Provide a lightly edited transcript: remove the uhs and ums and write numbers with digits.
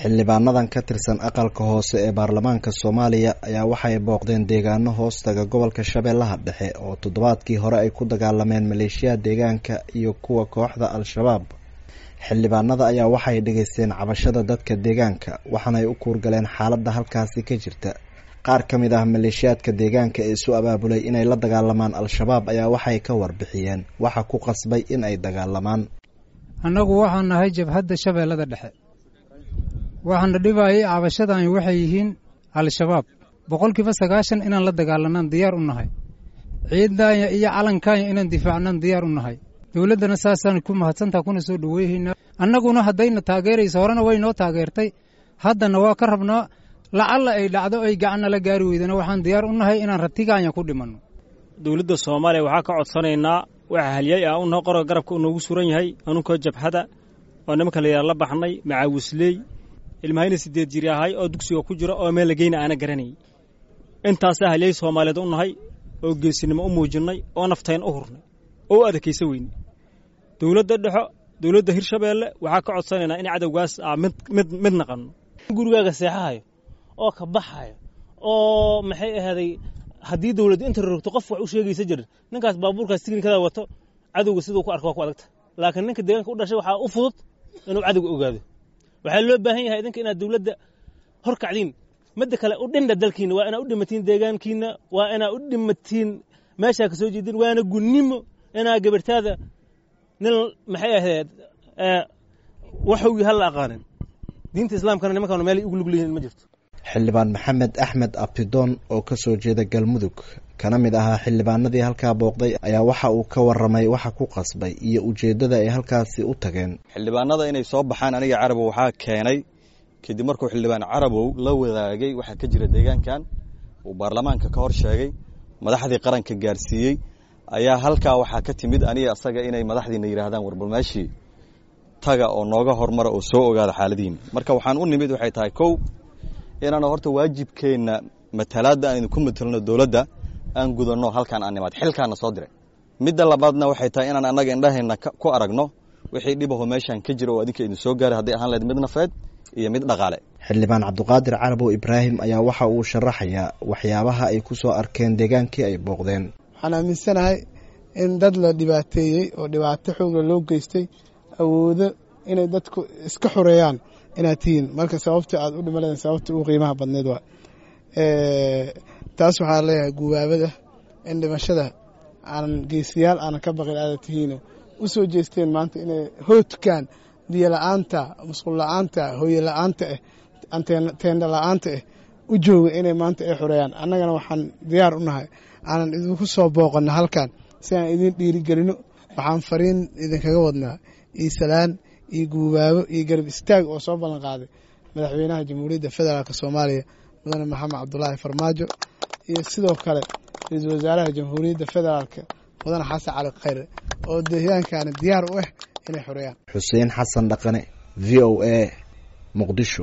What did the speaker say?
Xildhibaanadan ka tirsan aqalka hoose ee baarlamaanka Soomaaliya ayaa waxay booqdeen deegaano hoostaga gobolka Shabeellaha Dhexe oo toddobaadkii hore ay ku dagaalameen maleeshiyaha deegaanka iyo kuwa kooxda Al-shabaab. Xildhibaanada ayaa waxay dhageysteen cabashada dadka deegaanka waxaana ay u kuurgaleen xaaladda halkaasi ka jirta. Qaar ka mid ah maleeshiyaadka deegaanka ee isu abaabulay inay la dagaalamaan Al-shabaab ayaa waxay ka warbixiyeen waxa ku qasbay in ay dagaalamaan. Annagu waxaan nahay jabhadda Shabeellada Dhexe. Waxaana dhibayay cabashadan waxay yihiin Al-shabaab. 90% inaan la dagaalanaan diyaar u nahay. Ciidaanya iyo calankaanya inaan difaacnaan diyaar u nahay. Dowladdana saasaan ku mahadsantaha kuna soo dhoweynaynaa. Annaguna haddayna taageerayso horena way noo taageertay. Haddana waa ka rabnaa lacalla ay dhacdo ay gacanna la gaari weydana waxaan diyaar u nahay inaan ratigaanya ku dhimanno. Dowladda Soomaaliya waxaa ka codsanaynaa waxa halyay ah unoo qoroga garabka uu noogu suran yahay anunkoo jabhada oo nimanka la yidhaha la baxnay macaawisley ilmahayna 8 jir ahay oo dugsiga ku jira oo meel la geyna aana garanayay. Intaasaa halyay Soomaaliyeed u nahay oo geesinimo u muujinnay oo naftayn u hurnay oo u adkaysa weyne. Dowladda dhexo dowladda Hirshabeelle waxaa ka codsanaynaa in cadowgaas aa mid mid mid naqanno. Gurigaaga seexahayo oo ka baxayo oo maxay ahaaday haddii dowladdu inta rogto qof wax u sheegaysa jirin ninkaas baabuurkaas tiknikada wato cadowga siduu ku arko waa ku adagta, laakiin ninka deegaanka u dhashay waxaa u fudud inuu cadowga ogaado. Waxaa loo baahan yahay idinka inaad dowladda horkacdiin. Midda kale u dhindha dalkiina, waa inaad u dhimatiin deegaankiina, waa inaad u dhimatiin meeshaa ka soo jeedin, waana gunnimo inaa gabartaada nin maxay ahayd waxowgii hal la aqaanin. Diinta islaamkana nimankan meel ugu lug leeyihiin ma jirto. Xildhibaan Maxamed Axmed Abtidoon oo ka soo jeeda Galmudug kana mid ahaa xildhibaanadii halkaa booqday ayaa waxa uu ka warramay waxa ku qasbay iyo ujeeddada ay halkaasi u tageen. Xildhibaanada inay soo baxaan aniga Carabow waxaa keenay kadib markuu xildhibaan Carabow la wadaagay waxaa ka jira deegaankan uu baarlamaanka ka hor sheegay madaxdii qaranka gaarsiiyey ayaa halkaa waxaa ka timid aniga asaga inay madaxdiina yidhaahdaan warbal meeshii taga oo nooga hormara oo soo ogaada xaaladihiina. Marka waxaan u nimid waxay tahay kow inaanu horta waajibkeenna matalaadda aan idinku matalno dowladda aan gudanno halkaan aan nimaad xilkaana soo diray. Midda labaadna waxay tahay inaan annaga indhaheenna ku aragno wixii dhibaho meeshaan ka jira oo adinka idin soo gaaray hadday ahaan lahayd mid nafeed iyo mid dhaqaale. Xildhibaan Cabdiqaadir Carabow Ibraahim ayaa waxa uu sharaxayaa waxyaabaha ay ku soo arkeen deegaankii ay booqdeen. Waxaan aaminsanahay in dad la dhibaateeyey oo dhibaato xooga loo geystay awoodo inay dadku iska xoreeyaan inaad tihiin. Marka sababta aad u dhimaleen sababta ugu qiimaha badneed waa taas. Waxaa leeyahay gubaabada in dhimashada aanan geesiyaal aanan ka baqin aada tihiino u soo jeesteen maanta inay hoodkaan biyo la-aanta, musqul la-aanta, hooye la-aanta ah, teendha la-aanta ah u jooga inay maanta ay xoreeyaan. Annagana waxaan diyaar u nahay aanan idinku soo booqanno halkan si aan idin dhiirigelino. Waxaan fariin idinkaga wadnaa iyo salaan iyo guubaabo iyo garab istaag oo soo ballan qaaday madaxweynaha Jamhuuriyadda Federaalk Soomaaliya Mudane Maxamed Cabdulaahi Farmaajo iyo sidoo kale ra-iisul wasaaraha Jamhuuriyadda Federaalk Mudane Xasan Cali Khayre oo deegaankaana diyaar u ah inay xoreeyaan. Xuseen Xasan Dhaqane, V O A, Muqdisho.